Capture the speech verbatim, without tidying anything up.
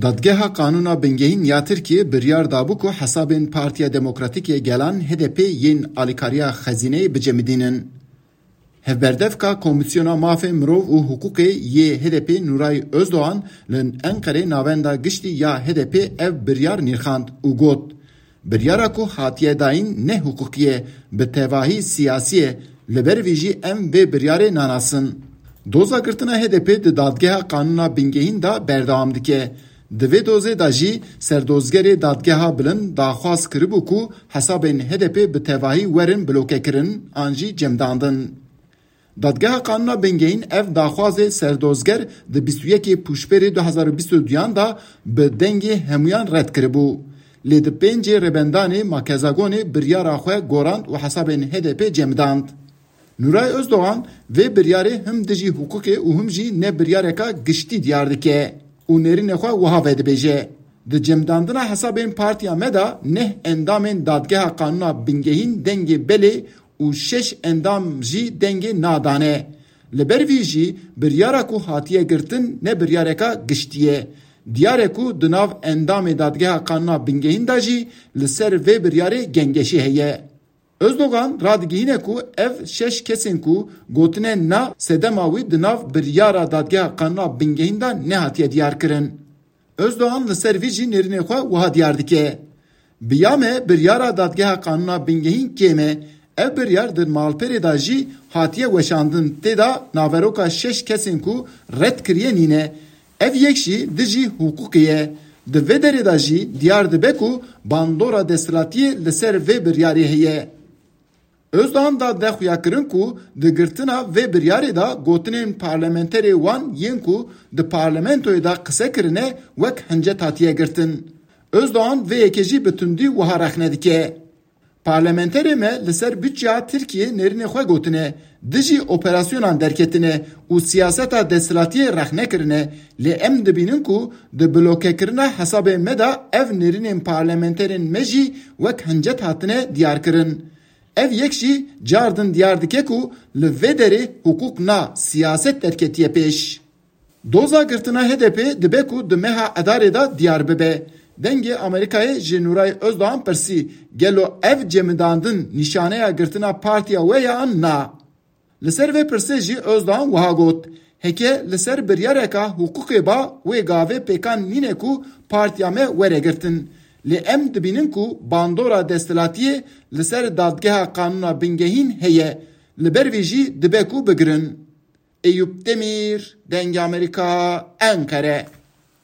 Dadgeha Qanûna Bingehîn ya Tirkiyê biryar dabû ku hesabên Partiya Demokratîk yê Gelan, H D P, yên alîkariya xezîneyê bicemidînin. Hevberdevka Komîsyona Mafê Mirov û Hiqûqê yê H D P Nuray Özdoğan li Enqerê navenda giştî ya H D P ev biryar nirxand û got, Biryara ku hatiye dayîn ne hiqûqî ye, bi tevahî siyasî ye, li ber vî jî em vê biryarê nanasin. Doza girtina H D P di Dadgeha Qanûna Bingehîn de berdewam dike. Di vê dozê de jî serdozgerê Dadgeha Bilind daxwaz kiribû ku hesabên H D P bi tevahî werin blokekirin an jî cemdandin. Dadgeha Qanûna Bingehîn ev daxwazê serdozger di bîst û yekê Pûşberê du hezar û bîst û duyan de bi dengê hemûyan red kiribû. Lê di pêncê Rêbendanê Makezagonê biryara xwe gorand û hesabên H D P cemidand. Nuray Özdoğan vê biryarê him dijî hiqûqê û him jî ne biryareka giştî diyar dike û nêrînê xwe wiha vedibêje, Di cemdandina hesabên partiya me de neh endamên Dadgeha Qanûna Bingehîn dengê belê û şeş endam jî dengê na dane. Li ber vî jî biryara ku hatiye girtin ne biryareka giştî ye. Diyar e ku di nav endamê Dadgeha Qanûna Bingehîn de jî li ser vê biryarê gengeşî heye. Özdogan radigihîne ku ev şeş kesên ku gotine na, sedema wî di nav biryara Dadgeha Qanûna Bingehîn de nehatiye diyarkirin. Özdogan li ser vî jî nêrînê xwe wiha diyar dike, Bi ya me biryara Dadgeha Qanûna Bingehîn kêm e. Ev biryar di malperê de jî hatiye weşandin, tê de naveroka şeş kesên ku red kiriye nîne. Ev yek jî dijî hiqûqê ye. Di vê derê de jî diyar dibe ku bandora desthilatiyê li ser vê biryarê heye. Özdogan da de xuyakirin ku di girtina vê biryarê de gotinên parlamenterê wan yên ku di parlamentoyê de qise kirine wek hincet hatiye girtin. Özdogan vê yekê jî bi tundî wiha rexne dike, Parlamenterê me li ser budçeya Tirkiyê nêrînê xwe gotine, dijî operasyonan derketine û siyaseta desthilatiyê rexne kirine, lê em dibînin ku di blokekirina hesabê me de ev nêrînên parlamenterên me jî wek hincet hatine diyarkirin. Ev yek jî cardin diyar dike ku li vê derê hiqûq na, siyaset derketiye pêş. Doza girtina H D P dibe ku di meha Edarê de diyar bibe. Dengê Amerîkayê ji Nuray Özdogan pirsî, Gelo ev cemidandin nîşaneya girtina partiya we ye an na? Li ser vê pirsê jî Özdogan wiha got, Heke li ser biryareka hiqûqê ba, wê gavê pêkan nîne ku partiya me were girtin. Lê em dibînin ku bandora desthilatiyê li ser Dadgeha Qanûna Bingehîn heye. Li ber vê jî dibe ku bigirin. Eyûp Demîr, Dengê Amerîka, Enqere.